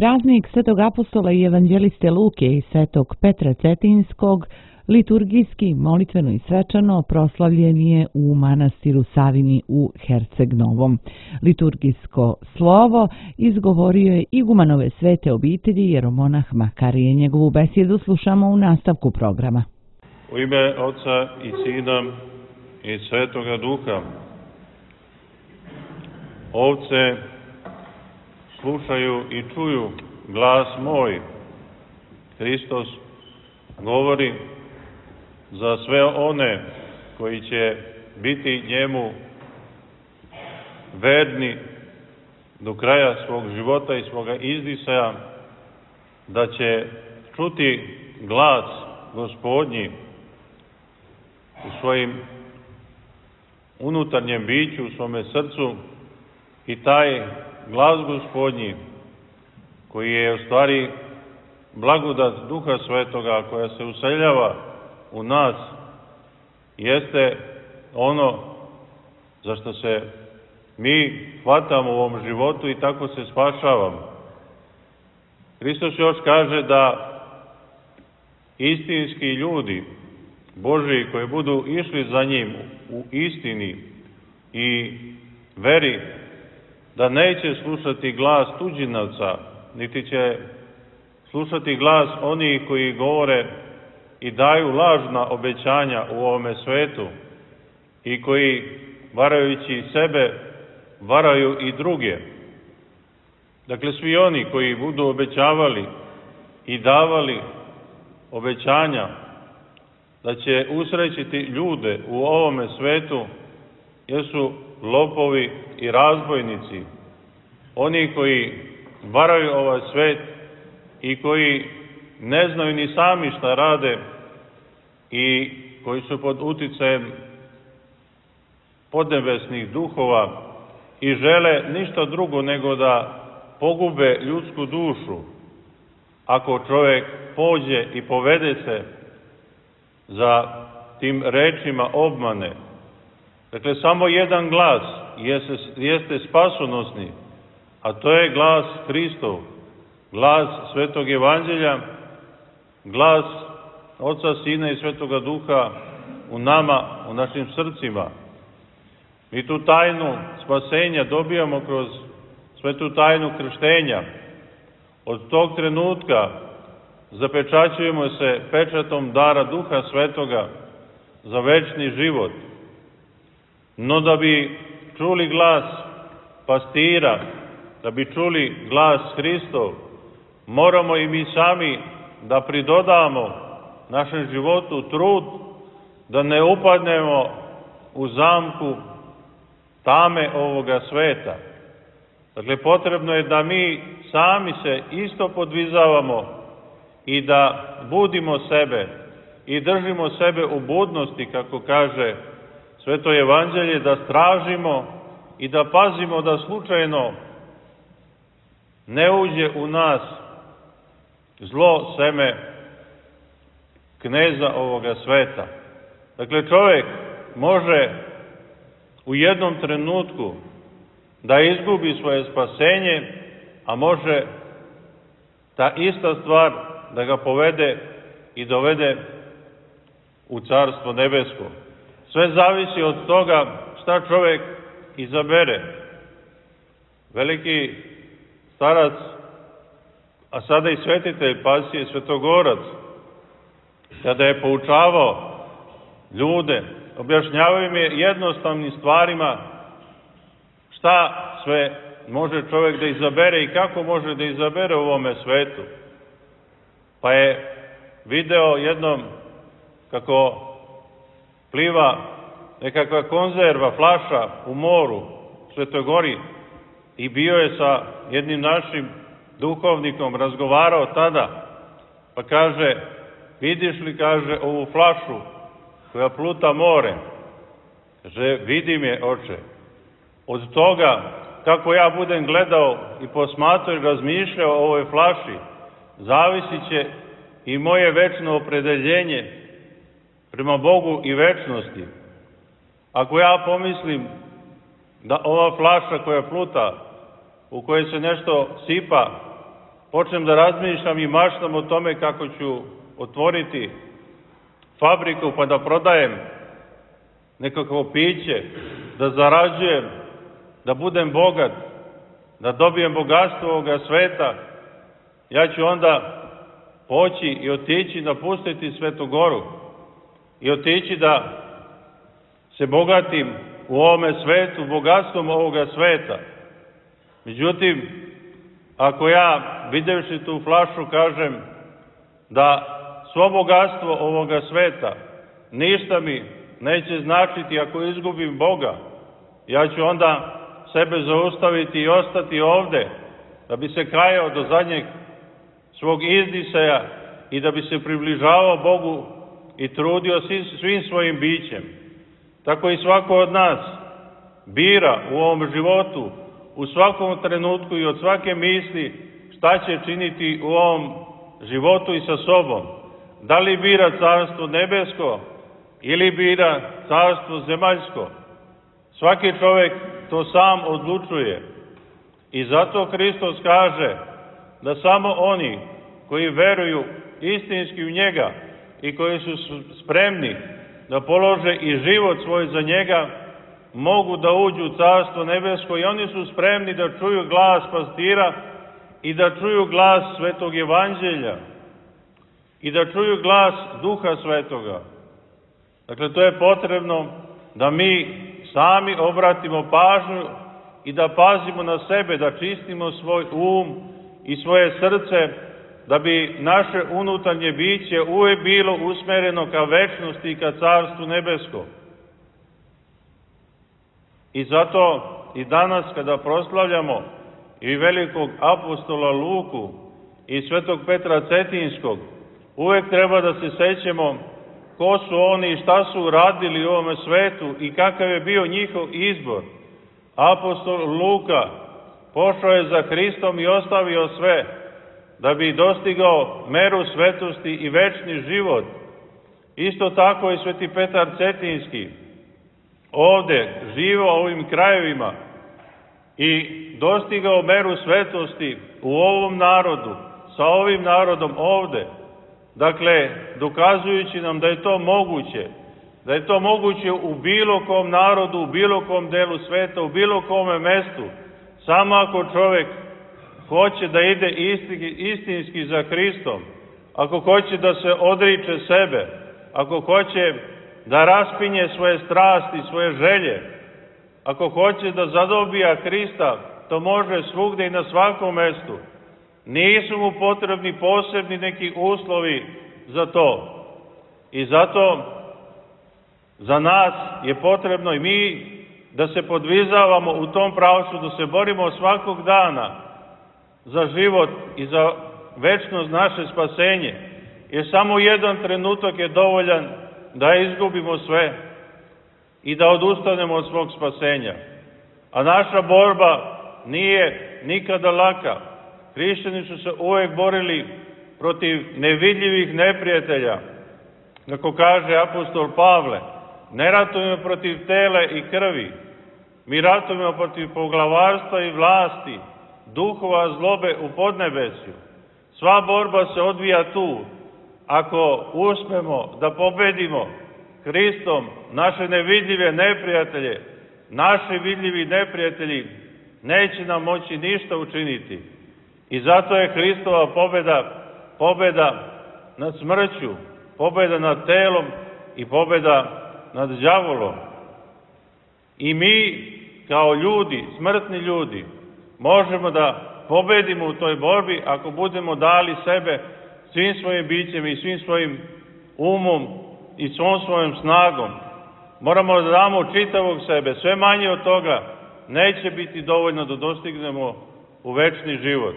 Praznik Svetog apostola i evanđeliste Luke i Svetog Petra Cetinskog liturgijski, molitveno i svečano proslavljen je u manastiru Savini u Herceg Novom. Liturgijsko slovo izgovorio je igumanove svete obitelji jeromonah Makarije. Njegovu besjedu slušamo u nastavku programa. U ime Oca i Sina i Svetoga Duha. Ovce slušaju i čuju glas moj. Hristos govori za sve one koji će biti njemu verni do kraja svog života i svoga izdisaja, da će čuti glas Gospodnji u svojim unutarnjem biću, u svome srcu, i taj glas Gospodnji, koji je u stvari blagodat Duha Svetoga koja se useljava u nas, jeste ono za što se mi hvatamo u ovom životu i tako se spašavamo. Hristos još kaže da istinski ljudi Božiji koji budu išli za njim u istini i veri, da neće slušati glas tuđinavca, niti će slušati glas onih koji govore i daju lažna obećanja u ovome svetu i koji, varajući sebe, varaju i druge. Dakle, svi oni koji budu obećavali i davali obećanja da će usrećiti ljude u ovome svetu, jesu lopovi i razbojnici, oni koji varaju ovaj svet i koji ne znaju ni sami šta rade i koji su pod uticajem podnebesnih duhova i žele ništa drugo nego da pogube ljudsku dušu ako čovjek pođe i povede se za tim rečima obmane. Dakle, samo jedan glas jeste spasonosni, a to je glas Hristov, glas Svetog Evanđelja, glas Oca, Sina i Svetoga Duha u nama, u našim srcima. Mi tu tajnu spasenja dobijamo kroz svetu tajnu krštenja. Od tog trenutka zapečaćujemo se pečatom dara Duha Svetoga za večni život. No da bi čuli glas pastira, da bi čuli glas Hristov, moramo i mi sami da pridodamo našem životu trud, da ne upadnemo u zamku tame ovoga sveta. Dakle, potrebno je da mi sami se isto podvizavamo i da budimo sebe i držimo sebe u budnosti, kako kaže Sveto Evanđelje, da stražimo i da pazimo da slučajno ne uđe u nas zlo seme kneza ovoga sveta. Dakle, čovjek može u jednom trenutku da izgubi svoje spasenje, a može ta ista stvar da ga povede i dovede u Carstvo nebesko. Sve zavisi od toga šta čovjek izabere. Veliki starac, a sada i svetitelj Pasije Svetogorac, kada je poučavao ljude, objašnjavao im je jednostavnim stvarima šta sve može čovjek da izabere i kako može da izabere u ovome svetu. Pa je video jednom kako pliva nekakva konzerva, flaša u moru, u Svetoj Gori, i bio je sa jednim našim duhovnikom, razgovarao tada, pa kaže, vidiš li, kaže, ovu flašu koja pluta more? Kaže, vidim je, oče. Od toga, kako ja budem gledao i posmatrao i razmišljao o ovoj flaši, zavisit će i moje večno opredeljenje prema Bogu i večnosti. Ako ja pomislim da ova flaša koja pluta, u kojoj se nešto sipa, počnem da razmišljam i maštam o tome kako ću otvoriti fabriku pa da prodajem nekakvo piće, da zarađujem, da budem bogat, da dobijem bogatstvo ovoga sveta, ja ću onda poći i otići napustiti Svetu Goru i otići da se bogatim u ovome svetu, bogatstvom ovoga sveta. Međutim, ako ja, videvši tu flašu, kažem da svo bogatstvo ovoga sveta ništa mi neće značiti ako izgubim Boga, ja ću onda sebe zaustaviti i ostati ovde, da bi se kajao do zadnjeg svog izdisaja i da bi se približavao Bogu i trudio svim svojim bićem. Tako i svako od nas bira u ovom životu, u svakom trenutku i od svake misli šta će činiti u ovom životu i sa sobom. Da li bira carstvo nebesko ili bira carstvo zemaljsko. Svaki čovjek to sam odlučuje. I zato Hristos kaže da samo oni koji veruju istinski u njega i koji su spremni da polože i život svoj za njega, mogu da uđu u carstvo nebesko i oni su spremni da čuju glas pastira i da čuju glas Svetog Evanđelja i da čuju glas Duha Svetoga. Dakle, to je potrebno da mi sami obratimo pažnju i da pazimo na sebe, da čistimo svoj i svoje srce, da bi naše unutarnje biće uvek bilo usmereno ka večnosti i ka carstvu nebesko. I zato i danas kada proslavljamo i velikog apostola Luku i svetog Petra Cetinskog, uvek treba da se sećamo ko su oni i šta su uradili u ovome svetu i kakav je bio njihov izbor. Apostol Luka pošao je za Hristom i ostavio sve da bi dostigao meru svetosti i večni život. Isto tako i sveti Petar Cetinski ovde živao u ovim krajevima i dostigao meru svetosti u ovom narodu, sa ovim narodom ovde. Dakle, dokazujući nam da je to moguće u bilo kom narodu, u bilo kom delu sveta, u bilo kome mestu, samo ako čovjek hoće da ide istinski za Hristom, ako hoće da se odriče sebe, ako hoće da raspinje svoje strasti, svoje želje, ako hoće da zadobija Hrista, to može svugde i na svakom mestu. Nisu mu potrebni posebni neki uslovi za to. I zato za nas je potrebno i mi da se podvizavamo u tom pravcu, da se borimo svakog dana za život i za večnost naše spasenje. Jer samo jedan trenutak je dovoljan da izgubimo sve i da odustanemo od svog spasenja. A naša borba nije nikada laka. Hrišćani su se uvek borili protiv nevidljivih neprijatelja. Kako kaže apostol Pavle, ne ratujemo protiv tela i krvi, mi ratujemo protiv poglavarstva i vlasti, duhova zlobe u podnebesju. Sva borba se odvija tu. Ako uspemo da pobedimo Hristom naše nevidljive neprijatelje, naši vidljivi neprijatelji neće nam moći ništa učiniti. I zato je Hristova pobeda nad smrću, pobeda nad telom i pobeda nad đavolom. I mi kao ljudi, smrtni ljudi, možemo da pobedimo u toj borbi ako budemo dali sebe svim svojim bićem i svim svojim umom i svom svojom snagom. Moramo da damo čitavog sebe, sve manje od toga neće biti dovoljno da dostignemo u večni život.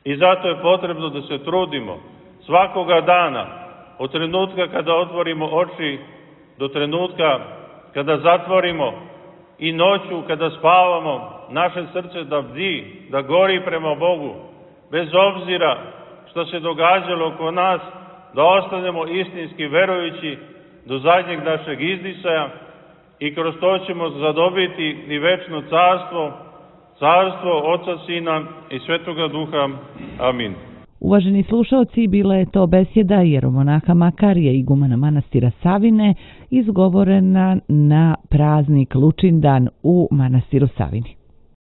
I zato je potrebno da se trudimo svakoga dana, od trenutka kada otvorimo oči do trenutka kada zatvorimo i noću kada spavamo, naše srce da bdi, da gori prema Bogu, bez obzira što se događalo oko nas, da ostanemo istinski verujući do zadnjeg našeg izdisaja i kroz to ćemo zadobiti i večno carstvo carstvo Oca, Sina i Svetoga Duha. Amin. Uvaženi slušalci, bila je to besjeda jeromonaha Makarija, igumana manastira Savine, izgovorena na praznik Lučindan u manastiru Savini.